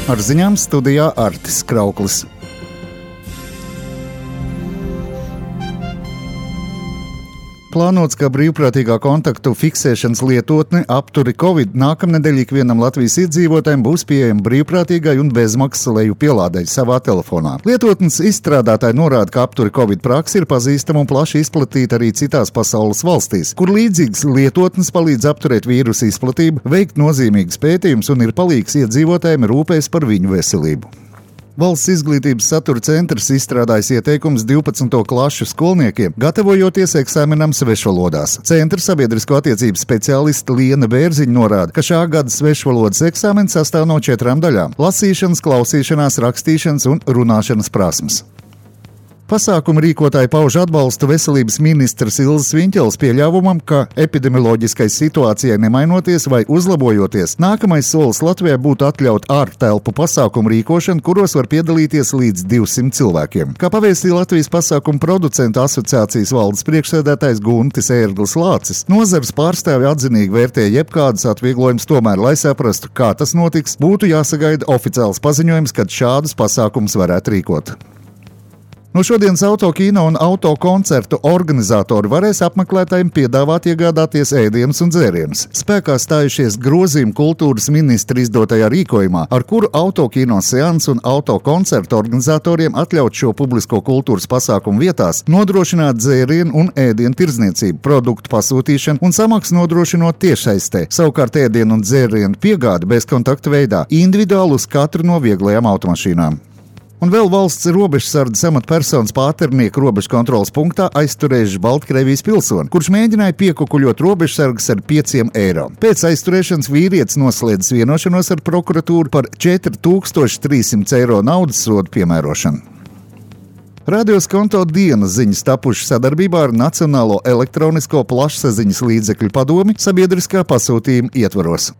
Ar ziņām studijā Artis Krauklis. Plānots, ka brīvprātīgā kontaktu fiksēšanas lietotne apturi Covid nākamnedēļ ikvienam Latvijas iedzīvotājiem būs pieejama brīvprātīgai un bezmaksas lejupielādei savā telefonā. Lietotnes izstrādātāji norāda, ka apturi Covid praksa ir pazīstama un plaši izplatīta arī citās pasaules valstīs, kur līdzīgas lietotnes palīdz apturēt vīrusu izplatību, veikt nozīmīgus pētījumus un ir palīgs iedzīvotājiem rūpēs par viņu veselību. Valsts izglītības satura centrs izstrādājis ieteikumus 12. klašu skolniekiem, gatavojoties eksāmenam svešvalodās. Centra sabiedrisko attiecību speciāliste Liena Bērziņa norāda, ka šā gada svešvalodas eksāmens sastāv no 4 daļām – lasīšanas, klausīšanās, rakstīšanas un runāšanas prasmes. Pasākumu rīkotāji pauž atbalstu veselības ministras Ilzes Viņķeles pieļāvumam, ka epidemioloģiskai situācijai nemainoties vai uzlabojoties, nākamais solis Latvijā būtu atļaut ārtelpu pasākumu rīkošanu, kuros var piedalīties līdz 200 cilvēkiem. Kā pavēstīja Latvijas pasākumu producentu asociācijas valdes priekšsēdētājs Guntis Ērglis Lācis, nozares pārstāvi atzinīgi vērtē jebkādus atvieglojumus, tomēr, lai saprastu, kā tas notiks, būtu jāsagaida oficiāls paziņojums, kad šādus pasākumus varētu rīkot. No šodienas autokino un autokoncertu organizatori varēs apmeklētājiem piedāvāt iegādāties ēdienus un dzērienus. Spēkā stājušies grozījumi kultūras ministra izdotajā rīkojumā, ar kuru autokino seansu un autokoncertu organizatoriem atļaut šo publisko kultūras pasākumu vietās nodrošināt dzērienu un ēdienu tirdzniecību, produktu pasūtīšanu un samaksu nodrošinot tiešsaistē. Savukārt ēdienu un dzērienu piegādi bezkontakta veidā, individuāli uz katru no vieglajām automašīnām. Un vēl valsts robežsardzes amatpersonas Pāternieku robežu kontroles punktā aizturējuši Baltkrievijas pilsoni, kurš mēģināja piekukuļot robežsargus ar 5 eiro. Pēc aizturēšanas vīrietis noslēdzis vienošanos ar prokuratūru par 4300 eiro naudas sodu piemērošanu. Radio Skonto dienas ziņas tapušas sadarbībā ar Nacionālo elektronisko plašsaziņas līdzekļu padomi sabiedriskā pasūtījuma ietvaros.